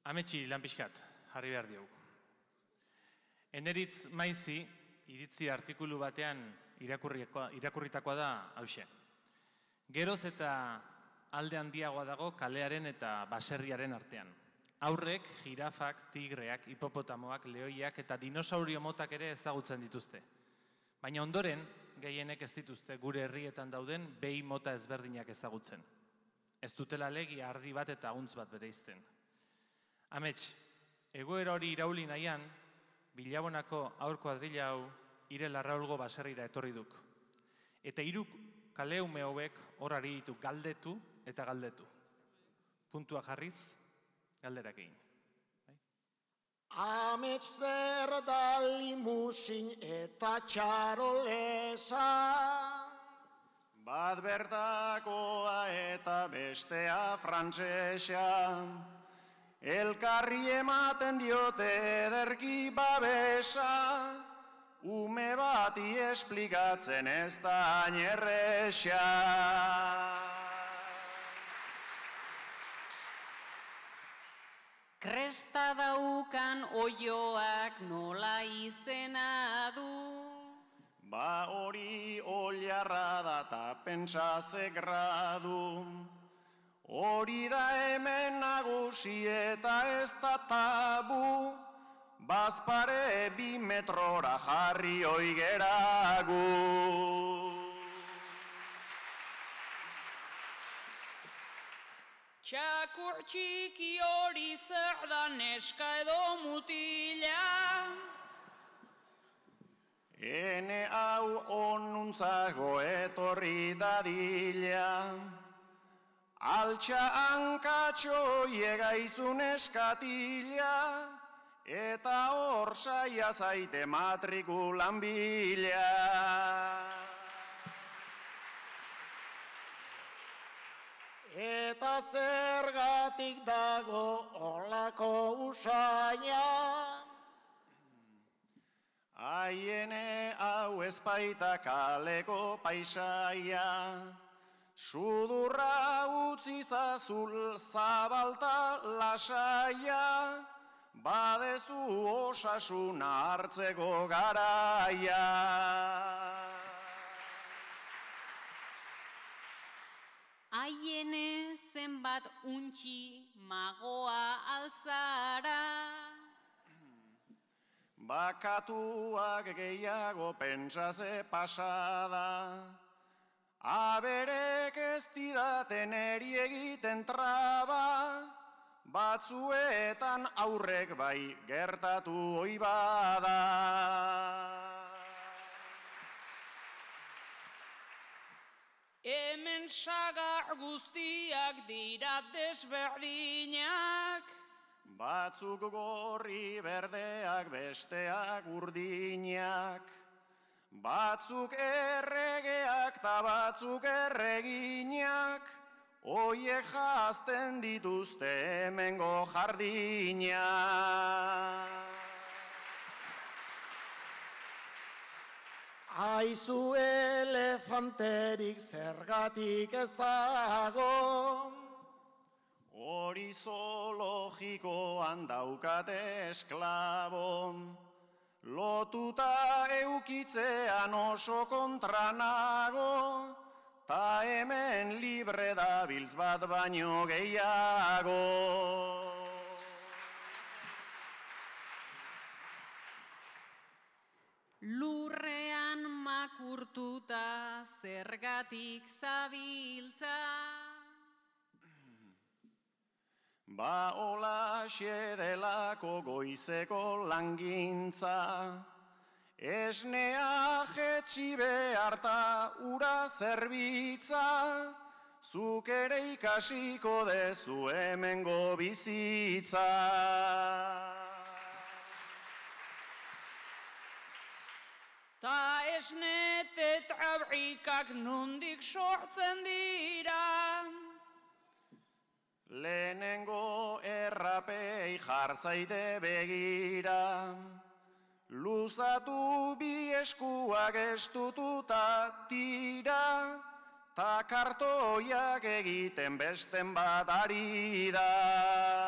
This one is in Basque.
Ametsi lan pixkat, jarri behar diogu. Eneritz Maizi, iritzi artikulu batean irakurritakoa da hauxe. Geroz eta alde handiagoa dago kalearen eta baserriaren artean. Aurrek, jirafak, tigreak, hipopotamoak, lehoiak eta dinosaurio motak ere ezagutzen dituzte. Baina ondoren, gehienek ez dituzte gure herrietan dauden behi mota ezberdinak ezagutzen. Ez dutela legia ardi bat eta ahuntz bat bereizten. Amets, egoera hori irauli nahian, Bilabonako aur kuadrilla hau Ire Larraulgo baserrira etorri duk. Eta 3 kaleume hauek hor ari ditu galdetu eta galdetu. Puntua jarriz, galderak egin. Amets zer da limusin eta txarolesa, bat bertakoa eta bestea frantsesa, elkarri ematen diote ederki babesa, ume bati esplikatzen ez da hain erresa. Kresta daukan oioak nola izena du. Ba hori oliarra da ta pentsa ze gradu. Hori da hemen nagusi eta ez da tabu. Bazpare 2 metrora jarri oigeragu. Txakur txiki hori zer da neska edo mutila. Ene hau onuntzago etorri dadila. Altxa hankatxo iegaizun eskatila. Eta hor saia zaite matrikulan bila. eta zergatik dago olako usaia. Aiene hau ezpaita kaleko paisaia, sudurra utzi zazul zabalta lasaia, badezu osasuna hartzeko garaia. Aiene zenbat untxi magoa alzara. Bakatuak gehiago pentsaze pasada, aberek ez didaten eri egiten traba, batzuetan aurrek bai gertatu oi bada. Hemen sagar guztiak dira desberdinak, batzuk gorri berdeak besteak urdinak, batzuk erregeak ta batzuk erreginak, oiek jazten dituzte hemengo jardinak. Aizu elefanterik zergatik ez dago, hori zoologikoan daukate esklabo, lotuta eukitzean oso kontra nago, ta hemen libre dabiltz bat baino gehiago. Lurrean makurtuta zergatik zabiltza. Ba holaxe delako goizeko langintza, esnea jetxi behar ta ura zerbitza, zuk ere ikasiko dezu hemengo bizitza. ta esne tetrabrikak nondik sortzen dira. Lehenengo errapei jartzaide begira, luzatu bi eskuak estututa tira, ta kartoiak egiten besten bat ari da.